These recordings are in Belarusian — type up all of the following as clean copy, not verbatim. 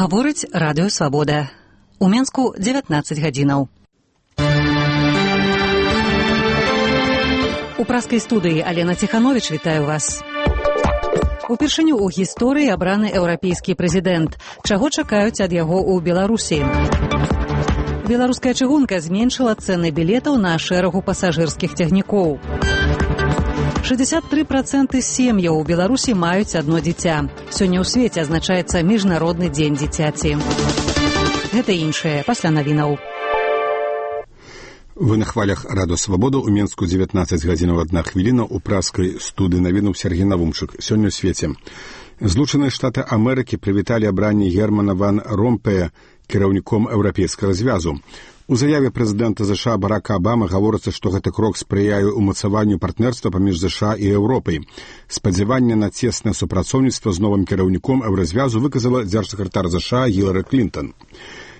Гаворыць радыё «Свабода». У Менску 19 гадзінаў. У праскай студыі Алена Ціхановіч вітаю вас. Упершыню ў гісторыі абраны еўрапейскі прэзідэнт. Чаго чакаюць ад яго ў Беларусі? Беларуская чыгунка зменшыла цэны білетаў на шэрагу пасажырскіх цягнікоў. 63% сем'яў у Беларусі маюць адно дзіця. Сёння ў свеце адзначаецца міжнародны дзень дзіцяці. Гэта іншае пасля навінаў. Вы на хвалях радыё «Свабода». У Менску 19 гадзінаў 1 хвіліна. У праскай студыі навінуў Сергей Навумчык. Сёння ў свеце. Злучаныя Штаты Амерыкі прывіталі абранне Германа ван Ромпея кіраўніком Еўрапейскага звязу. У заяве прэзідэнта ЗША Барака Абамы гаворыцца, што гэты крок спрыяе ўмацаванню партнерства паміж ЗША і Еўропай. Спадзяванне на цеснае супрацоўніцтва з новым кіраўніком Еўразвязу выказала дзяржсакратар ЗША Гілары Клінтон.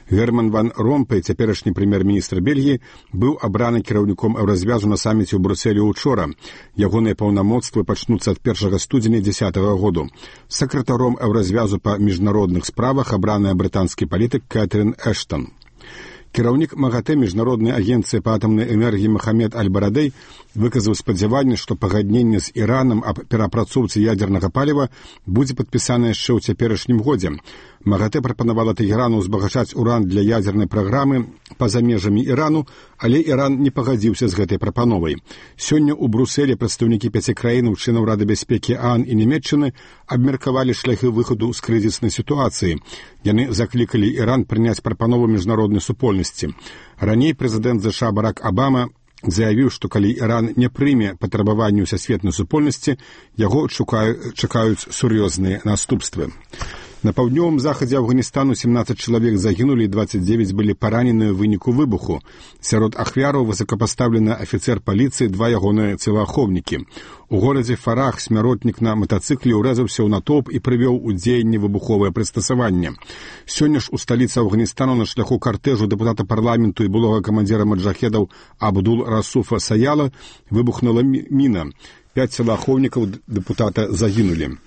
Герман ван Ромпей, цяперашні прэм'ер-міністр Бельгіі, быў абраны кіраўніком Еўразвязу на саміце ў Брюсселі учора. Ягоныя паўнамоцтвы пачнуцца ад 1 студзеня 2010 году. Сакратаром Еўразвязу па міжнародных справах абраная брытанскі палітык Кэтрин Эштон. Кіраўнік МАГАТЭ міжнароднай агенцыі па атамнай энергіі Махамед Аль-Барадэй выказаў спадзяванне, што пагадненне з Іранам аб перапрацоўцы ядзернага паліва будзе падпісана яшчэ ў цяперашнім годзе. МАГАТЭ прапанавала Тэхерану ўзбагачаць уран для ядзернай праграмы па-за межамі Ірану, але Іран не пагадзіўся з гэтай прапановай. Сёння ў Брюсселі прадстаўнікі 5 краінаў членаў Рады бяспекі ААН і Нямецчыны абмеркавалі шляхі выхаду з крызіснай сітуацыі. Яны заклікалі Іран прыняць прапанову міжнароднай супольнасці. Раней прэзідэнт ЗША Барак Абама заявіў, што калі Іран не прыме патрабаванні сусветнай супольнасці, яго чакаюць сур'ёзныя наступствы. На паўднёвым захадзе Афганістану 17 чалавек загінулі і 29 былі параненыя ў выніку выбуху. Сярод ахвяраў высокапастаўлены афіцэр паліцыі, 2 ягоныя целаахоўнікі. У горадзе Фарах смяротнік на матацыкле ўрэзаўся ў натоўп і прывёў у дзеянне выбуховае прыстасаванне. Сёння ж у сталіцы Афганістану на шляху картэжу дэпутата парламенту і былога камандзіра маджахедаў Абдул Расуфа Саяла выбухнула міна. 5 целаахоўнікаў дэпутата загінулі.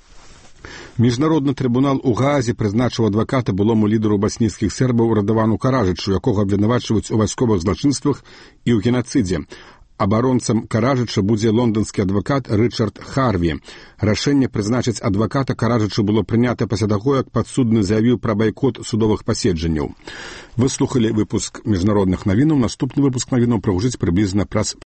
Міжнародны трыбунал у Гаазе прызначыў адваката былому лідару баснійскіх сербаў Радавану Караджычу, якога абвінавачваюць у вайсковых злачынствах і ў генацыдзе. Абаронцам Караджыча будзе лонданскі адвакат Рычард Харві. Рашэнне прызначыць адваката Караджычу было прынята пасля таго, як падсудны заявіў пра байкот судовых паседжанняў. Вы слухалі выпуск міжнародных навінаў. Наступны выпуск навінаў прагучыць прыблізна праз